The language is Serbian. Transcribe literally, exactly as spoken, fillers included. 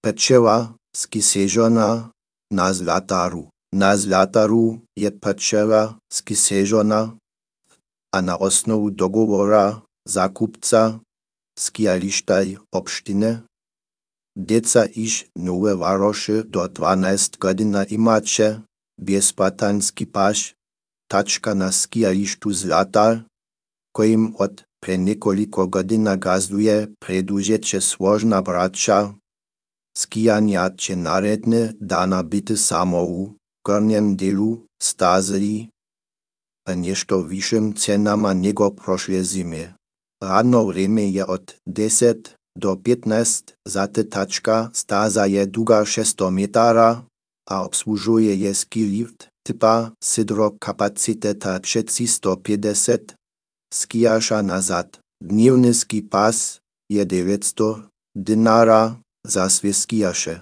Pečeva skisežona na Zlataru. Na Zlataru je pečeva skisežona a na osnovu dogovora zakupca skijalištaj obštine deca iž nowe waroše do dwanaest godzina imače bezpatanski paš tačka na skijalištu Zlatar, kojim od pre niekoliko godzina gazduje predłužeće słožna braća, skijanja će naredne dana biti samo u gornjem delu stazeli a nešto višim cenama nego prošle zime. Radno vreme je od deset do petnaest, zate tačka staza je duga šesto metara a obsłužuje je ski lift typa sidro kapaciteta sto pedeset skijaša nazad. Dnevny ski pas je devetsto dinara za sve skijaše.